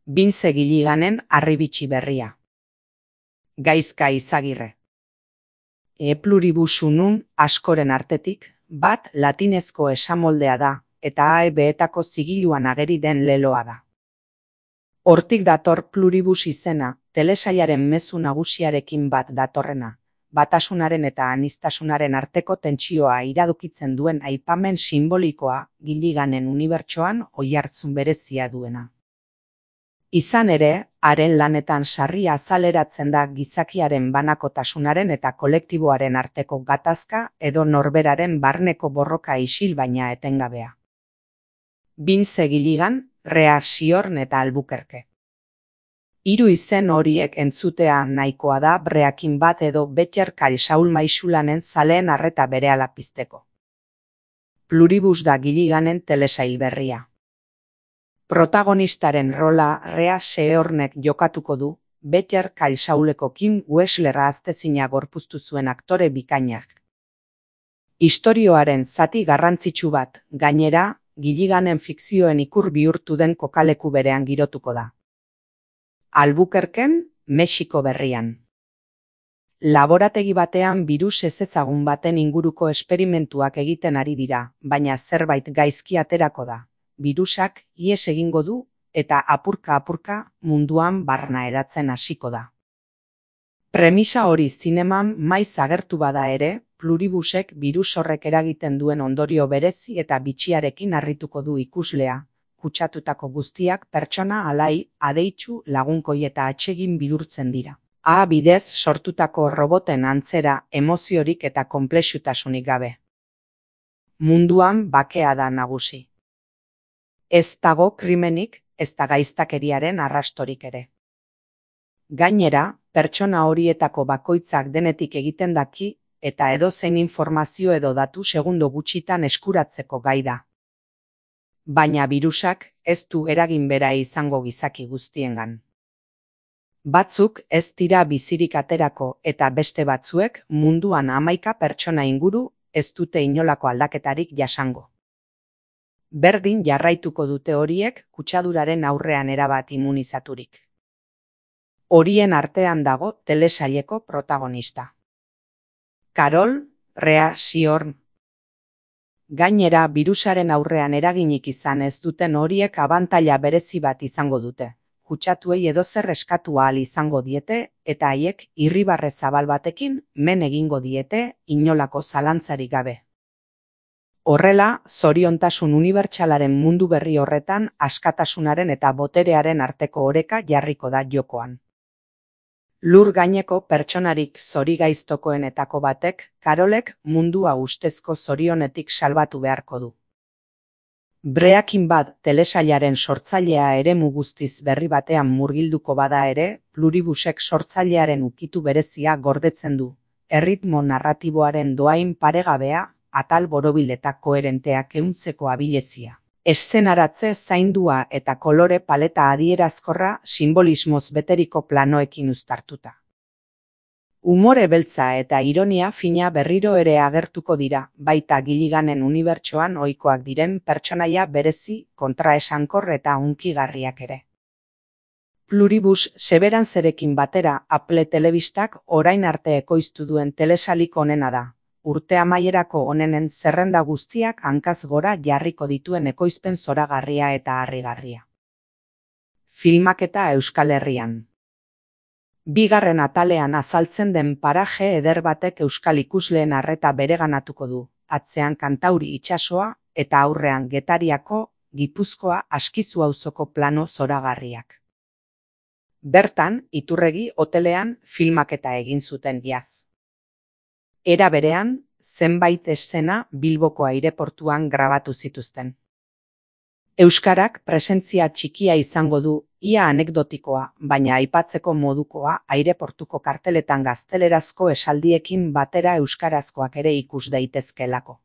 Bintze Gilliganen Harribitxi berria. Gaizka Izagirre. Pluribus unum askoren artetik, bat latinezko esamoldea da, eta AEB-etako zigiluan ageri den leloa da. Hortik dator pluribus izena, telesailaren mezu nagusiarekin bat datorrena, batasunaren eta aniztasunaren arteko tentsioa iradokitzen duen aipamen sinbolikoa Gilliganen unibertsoan oihartzun berezia duena. Izan ere, haren lanetan sarri azaleratzen da gizakiaren banakotasunaren eta kolektiboaren arteko gatazka edo norberaren barneko borroka isil baina etengabea. Bintze Gilligan, Rea Siorn eta Albuquerque. Hiru izen horiek entzutea nahikoa da Breaking Bad edo Better Call Saul maisulanen zaleen arreta berehala pizteko. Pluribus da Gilliganen telesail berria. Protagonistaren rola Rea Siornek jokatuko du, Better Call Sauleko Kim Wexler ahaztezina gorpuztu zuen aktore bikainak. Istorioaren zati garrantzitsu bat, gainera, Gilliganen fikzioen ikur bihurtu den kokaleku berean girotuko da. Albuquerquen, Mexiko berrian. Laborategi batean birus ezezagun baten inguruko esperimentuak egiten ari dira, baina zerbait gaizki aterako da. Birusak ihes egingo du eta apurka-apurka munduan barna edatzen hasiko da. Premisa hori zineman maiz agertu bada ere, pluribusek birus horrek eragiten duen ondorio berezi eta bitxiarekin harrituko du ikuslea, kutsatutako guztiak pertsona alai, adeitsu, lagunkoi eta atsegin bihurtzen dira. Bidez sortutako roboten antzera emoziorik eta konplexutasunik gabe. Munduan bakea da nagusi. Ez dago krimenik, ez da gaiztakeriaren arrastorik ere. Gainera, pertsona horietako bakoitzak denetik egiten daki eta edozein informazio edo datu segundo gutxitan eskuratzeko gai da. Baina birusak ez du eragin bera izango gizaki guztiengan. Batzuk ez dira bizirik aterako eta beste batzuek munduan 11 pertsona inguru ez dute inolako aldaketarik jasango. Berdin jarraituko dute horiek kutsaduraren aurrean erabat immunizaturik. Horien artean dago telesaileko protagonista. Carol, Rea Siorn. Gainera, birusaren aurrean eraginik izan ez duten horiek abantaila berezi bat izango dute. Kutsatuei edozer eskatu ahal izango diete eta haiek irribarre zabal batekin men egingo diete inolako zalantzarik gabe. Horrela, zoriontasun unibertsalaren mundu berri horretan askatasunaren eta boterearen arteko oreka jarriko da jokoan. Lur gaineko pertsonarik zorigaiztokoenetako batek, Carolek mundua ustezko zorionetik salbatu beharko du. Breaking Bad telesailaren sortzailea eremu guztiz berri batean murgilduko bada ere, pluribusek sortzailearen ukitu berezia gordetzen du, erritmo narratiboaren dohain paregabea, atal borobil eta koherenteak ehuntzeko abilezia. Eszenaratze zaindua eta kolore paleta adierazkorra sinbolismoz beteriko planoekin uztartuta. Umore beltza eta ironia fina berriro ere agertuko dira, baita Gilliganen unibertsoan ohikoak diren pertsonaia berezi, kontraesankor eta hunkigarriak ere. Pluribus Severancerekin batera Apple Telebistak orain arte ekoiztu duen telesailik onena da. Urte amaierako onenen zerrenda guztiak hankaz gora jarriko dituen ekoizpen zoragarria eta harrigarria. Filmaketa Euskal Herrian. Bigarren atalean azaltzen den paraje eder batek euskal ikusleen arreta bereganatuko du, atzean Kantauri itsasoa eta aurrean Getariako, Gipuzkoa Askizu auzoko plano zoragarriak. Bertan, Iturregi hotelean filmaketa egin zuten iaz. Era berean, zenbait eszena Bilboko aireportuan grabatu zituzten. Euskarak presentzia txikia izango du, ia anekdotikoa, baina aipatzeko modukoa aireportuko karteletan gaztelerazko esaldiekin batera euskarazkoak ere ikus daitezkeelako.